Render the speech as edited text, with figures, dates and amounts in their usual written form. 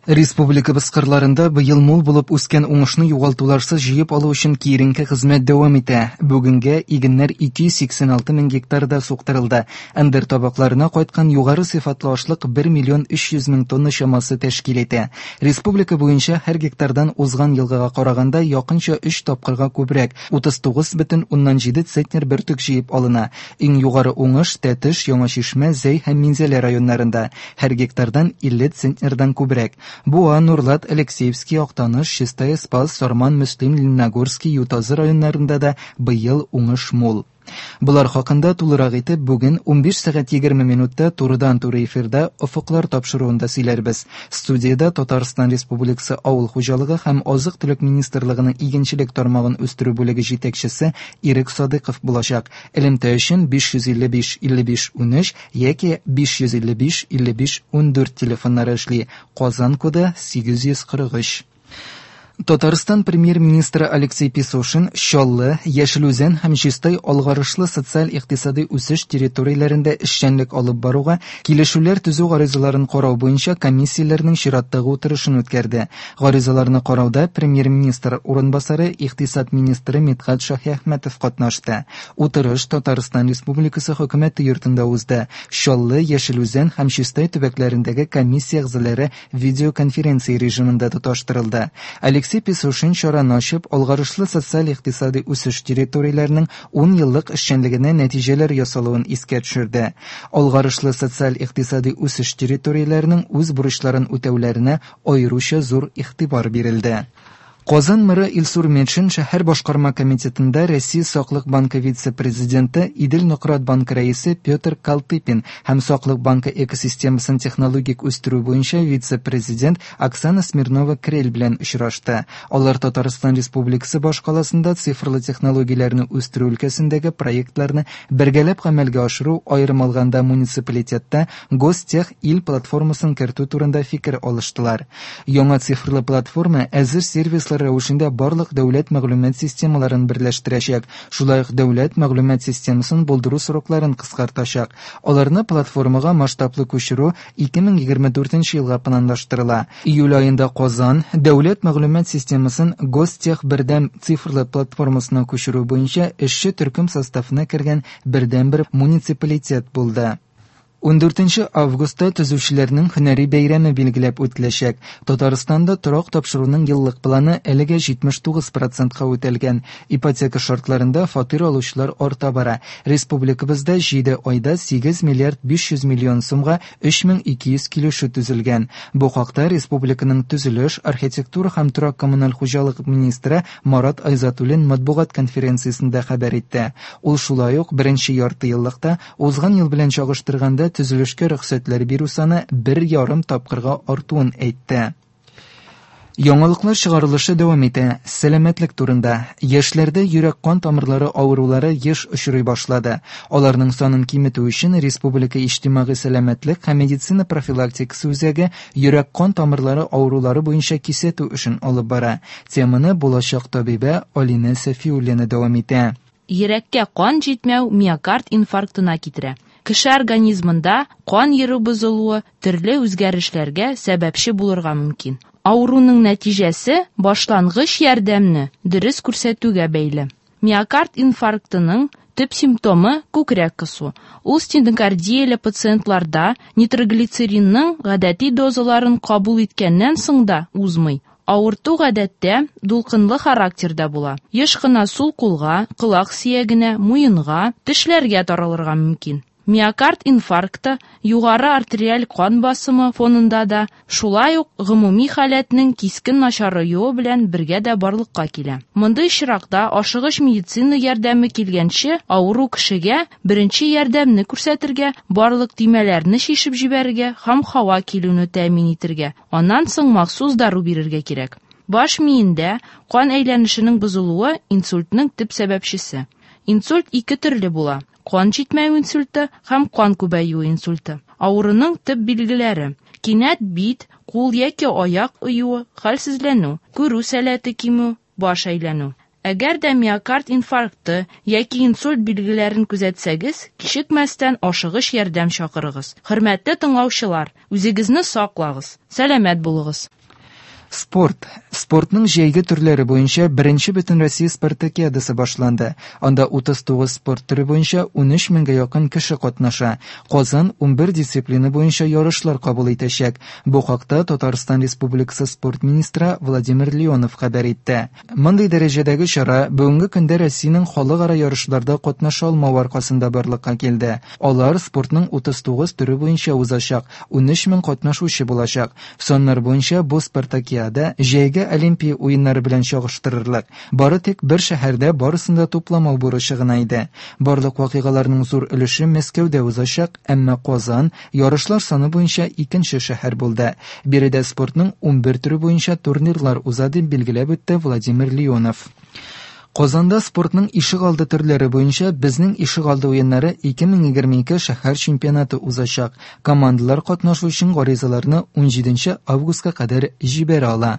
Республикабыз кырларында быел мул булып үскән уңышны югалтуларсыз җыеп алу өчен киеренке хезмәт дәвам итә. Бүгенгә игеннәр 286 мең гектарда суктырылды. Ындыр табакларына кайткан югары сыйфатлы ашлык 1 миллион 300 мең тонна чамасы тәшкил итә. Республика буенча һәр гектардан узган елгыга караганда якынча өч тапкырга күбрәк, 39,7 центнер бөртек җыеп алына. Иң югары уңыш Тәтеш, Яңа Чишмә, Зәй һәм Минзәлә районнарында, һәр гектардан 50 центнердан күбрәк. Буа, Нурлат, Алексеевский, Актаныш, Чистай, Спас, Сарман, Мөслим, Лениногорский, Ютазы районнарында да быел уңыш мул. Болар хакында тулырак итеп бүген 15 сәгать 20 минутта турыдан-туры эфирда Офыклар тапшыруында сөйләрбез. Студиядә Татарстан Республикасы Авыл хуҗалыгы һәм азык-төлек министрлыгының игенчелек тармагын үстерү бүлеге җитәкчесе Ирек Садыйков булачак. Элемтә өчен 555 55 13 яки 555 55 14 телефоннары эшли. Казан коды 843. Татарстан премьер-министры Алексей Песошин Чаллы, Яшел Үзән һәм Чистай алгарышлы социаль-икътисадый үсеш территорияләрендә эшчәнлек алып баруга килешүләр төзү гаризаларын карау буенча комиссияләрнең чираттагы утырышын үткәрде. Гаризаларны карауда премьер-министр урынбасары, икътисад министры Мидхәт Шаһиәхмәтов катнашты. Утырыш Татарстан Республикасы Хөкүмәте йортында узды. Чаллы, Яшел Үзән һәм Чистай төбәкләрендәге комиссия әгъзалары видеоконференция режимында тоташтырылды. Алексей Песошин чараны ачып, алгарышлы социаль-икътисадый үсеш территорияләренең 10 еллык эшчәнлегенә нәтиҗәләр ясалуын искә төшерде. Алгарышлы социаль-икътисадый үсеш территорияләренең үз бурычларын үтәүләренә аеруча зур игътибар бирелде. Казан мэры Илсур Метшин шәһәр башкарма комитетында Россия Саклык банкы вице-президенты, Идел-Нократ банкы рәисе Петр Калтыпин һәм Саклык банкы экосистемасын технологик үстерү буенча вице-президент Оксана Смирнова-Крель белән очрашты. Алар Татарстан Республикасы башкаласында цифрлы технологияләрне үстерү өлкәсендәге проектларны бергәләп гамәлгә ашыру, аерым алганда муниципалитетта Гостех ил платформасын кертү турында фикер алыштылар. Яңа цифрлы платформа әзер сервислар рәвешендә барлык дәүләт мәгълүмат системаларын берләштерәчәк, шулай ук дәүләт мәгълүмат системасын булдыру срокларын кыскартачак. Аларны платформага масштаблы күчерү 2024 елга планлаштырыла. Июль аенда Казан дәүләт мәгълүмат системасын Гостех бердәм цифрлы платформасына күчерү буенча эшче төркем составына кергән бердәнбер муниципалитет булды. 14 августта төзүчеләрнең һөнәри бәйрәме билгеләп үтеләчәк. Татарстанда торак тапшыруның еллык планы әлегә 79 процентка үтәлгән. Ипотека шартларында фатир алучылар арта бара. Республикабызда 7 айда 8 миллиард 500 миллион сумга 3200 килешү төзелгән. Бу хакта республиканың төзелеш, архитектура һәм торак-коммуналь хуҗалык министры Марат Айзатуллин матбугат конференциясендә хәбәр итте. Ул шулай ук беренче яртыеллыкта Узган ел белән чагыштырганда төзелешкә рөхсәтләр бирү саны бер ярым тапкырга артуын әйтте. Яңалыклар чыгарылышы дәвам итә. Сәламәтлек турында. Яшьләрдә йөрәк-кан тамырлары авырулары еш очрый башлады. Аларның санын киметү өчен Республика иҗтимагый сәламәтлек һәм медицина профилактикасы үзәге йөрәк-кан тамырлары авырулары буенча кисәтү эшен алып бара. Теманы булачак табибә Алинә Сәфиуллина дәвам итә. Йөрәккә кан җитмәү миокард инфарктына китерә. Кеше организмында кан йөрү бозылуы төрле үзгәрешләргә сәбәпче булырга мөмкин. Авыруның нәтиҗәсе башлангыч ярдәмне дөрес күрсәтүгә бәйле. Миокард инфарктының төп симптомы, күкрәк кысу. Ул стенокардияле пациентларда нитроглицеринның гадәти дозаларын кабул иткәннән соң да узмый. Авырту гадәттә дулкынлы характерда була. Еш кына сул кулга, колак сөягенә, муенга, тешләргә таралырга мөмкин. Миокард инфаркты югары артериаль кан басымы фонында да, шулай ук гомуми халәтнең кискен начараюы белән бергә дә барлыкка килә. Мондый очракта ашыгыч медицина ярдәме килгәнче авыру кешегә беренче ярдәмне күрсәтергә, барлык төймәләрне чишеп җибәрергә һәм һава килүне тәэмин итергә, Аннан соң махсус дару бирергә кирәк. Баш миендә кан әйләнешенең бозылуы инсультның төп сәбәпчесе. Инсульт ике төрле була, кан җитмәү инсульты һәм кан күбәюе инсульты. Авыруның төп билгеләре, кинәт бит, кул яки аяк оюы, хәлсезләнү, күрү сәләте кимү, баш әйләнү. Әгәр дә миокард инфаркты яки инсульт билгеләрен күзәтсәгез, кичекмәстән ашыгыч ярдәм чакырыгыз. Хөрмәтле тыңлаучылар, үзегезне саклагыз, сәламәт булыгыз! Спорт. Спортның җәйге төрләре буенча беренче Бөтенроссия спартакиадасы башланды. Анда 39 спорт төре буенча 13 меңгә якын кеше катнаша. Казан 11 дисциплина буенча ярышлар кабул итәчәк. Бу хакта Татарстан Республикасы спорт министры Владимир Леонов хәбәр итте. Мондый дәрәҗәдәге чара бүгенге көндә Россиянең халыкара ярышларда катнаша алмавы аркасында барлыкка килде. Алар спортның 39 төре буенча узачак, 13 мең катнашучы булачак. Саннар буенча бу спартакиада җәйге Олимпия уеннары белән чагыштырырлык. Бары тик бер шәһәрдә барысын да тупламау бурычы гына иде. Барлык вакыйгаларның зур өлеше Мәскәүдә узачак, әмма Казан ярышлар саны буенча икенче шәһәр булды. Биредә спортның 11 төре буенча турнирлар уза, дип билгеләп үтте Владимир Леонов. Казанда спортның ишегалды төрләре буенча Безнең ишегалды уеннары 2022 шәһәр чемпионаты узачак. Командалар катнашу өчен гаризаларны 17 августка кадәр җибәрә ала.